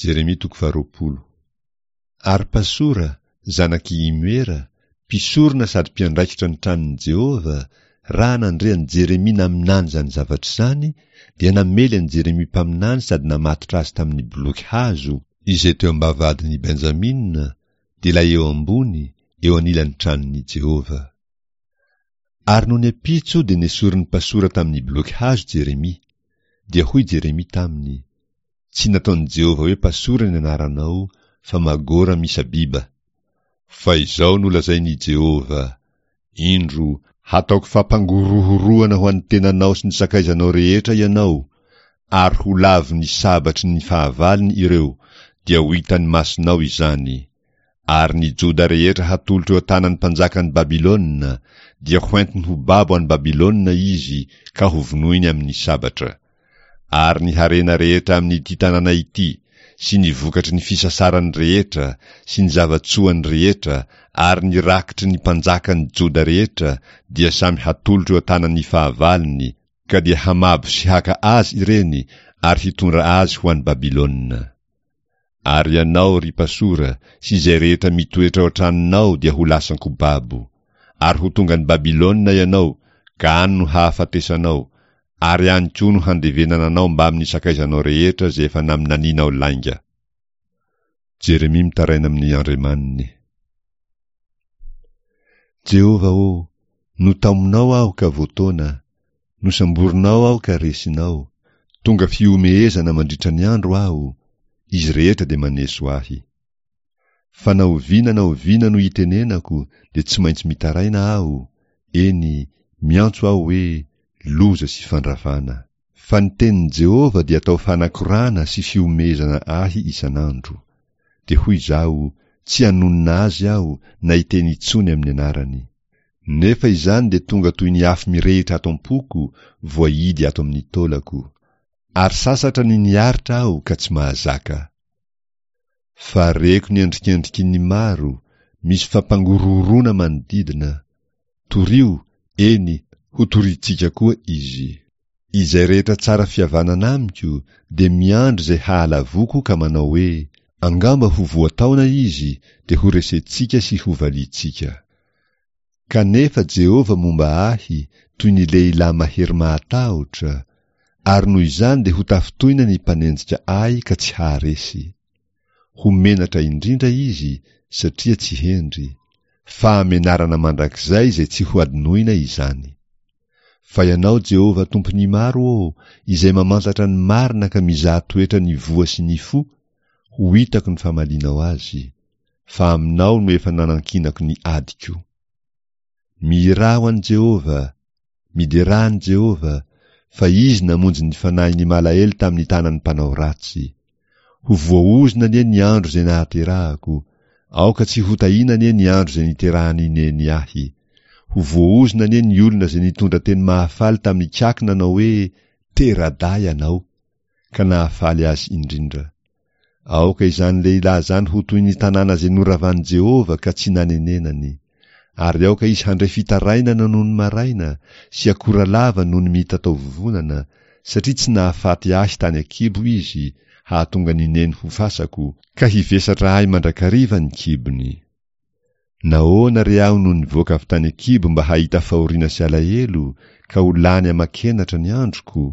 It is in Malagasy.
Jeremia toko faharoapolo. Ary Pasora, zanak'i Imera, mpisorona sady mpiandraikitra ny tranon'i Jehovah, raha nandre an'i Jeremia naminany izany zavatra izany, dia namely an'i Jeremia mpaminany sady namatotra azy tamin'ny boloky hazo, izay teo am-bavahadin'i Benjamina, dia ilay eo ambony, eo anilan'ny tranon'i Jehovah. Ary nony ampitso dia nesorin'i Pasora tamin'ny boloky hazo Jeremia. Dia hoy Jeremia taminy, Tsy nataon'i Jehovah hoe Pasora ny anaranao, fa Magora Misabiba. Fa izao no lazain'i Jehovah, Indro, hataoko fampangorohoroana ho an'ny tenanao sy ny sakaizanao rehetra ianao, ary ho lavon'ny sabatry ny fahavalony ireo, dia ho hitan'ny masonao izany. Ary ny Joda rehetra hatolotro eo an-tanan'ny mpanjakan'i Babylona, dia hoentiny ho babo any Babylona izy ka hovonoiny amin'ny sabatra. Ary ny harena rehetra amin'ity tanàna ity, sy ny vokatry ny fisasarany rehetra, sy ny zava-tsoany rehetra, ary ny rakitry ny mpanjakan'ny Joda rehetra, dia samy hatolotro eo an-tanan'ny fahavalony, ka dia hamabo sy haka azy ireny ary hitondra azy ho any Babylona. Ary ianao, ry Pasora, sy izay rehetra mitoetra ao an-tranonao dia ho lasan-ko babo. Ary ho tonga any Babylona ianao, ka any no hahafatesanao, ary any koa no handevenana anao mbamin'ny sakaizanao rehetra izay efa naminanianao lainga. Jeremia mitaraina amin'ny Andriamaniny. Jehovah ô, notaominao aho ka voataona, Nosamborinao aho ka resinao, tonga fihomehezana mandritra ny andro aho, izy rehetra dia maneso ahy. Fa na oviana na oviana no itenenako dia tsy maintsy mitaraina aho, eny, miantso aho hoe, Loza sy fandravana! Fa ny tenin'i Jehovah dia atao fanakorana sy fihomehezana ahy isan'andro. Dia hoy izaho, Tsy hanonona azy aho na hiteny intsony amin'ny anarany. Nefa izany dia tonga toy ny afo mirehitra ato am-poko, voahidy ato amin'ny taolako. Ary sasatra ny niaritra aho ka tsy mahazaka. Fa reko ny endrikendriky ny maro, misy fampangorohoroana manodidina. Torio, eny, hotorintsika koa izy. Izay rehetra tsara fihavanana amiko dia miandry izay hahalavoako ka manao hoe, Angamba ho voataona izy dia horesentsika sy hovaliantsika. Kanefa Jehovah momba ahy toy ny lehilahy mahery mahatahotra, ary noho izany dia hotafintohina ny mpanenjika ahy ka tsy haharesy. Ho menatra indrindra izy satria tsy hendry. Fahamenarana mandrakizay izay tsy hohadinoina izany. Fa Ianao Jehovah Tompon'ny maro ô, izay mamantatra ny marina ka mizaha toetra ny voa sy ny fo, ho hitako ny famalianao azy, fa aminao no efa nanankinako ny adiko. Mihirà ho an'i Jehovah, miderà an'i Jehovah, fa Izy namonjy ny fanahin'ny malahelo tamin'ny tanan'ny mpanao ratsy. Ho voaozona anie ny andro izay nahaterahako, aoka tsy hotahiana anie ny andro izay niterahan'i Neny ahy. Ho voaozona anie ny olona izay nitondra teny mahafaly tamin'ny kiaky nanao hoe, Tera-dahy ianao! ka nahafaly azy indrindra. Aoka izany lehilahy izany ho toy ny tanàna izay noravan'i Jehovah ka tsy nanenenany. Ary aoka izy handre fitarainana nony maraina, sy akora lava nony mitataovovonana, satria tsy nahafaty ahy tany an-kibo izy, hahatonga ny neny ho fasako, ka hivesatra ahy mandrakariva ny kibony. Nahoana re aho no nivoaka avy tany an-kibo mba hahita fahoriana sy alahelo, ka ho lany aman-kenatra ny androko?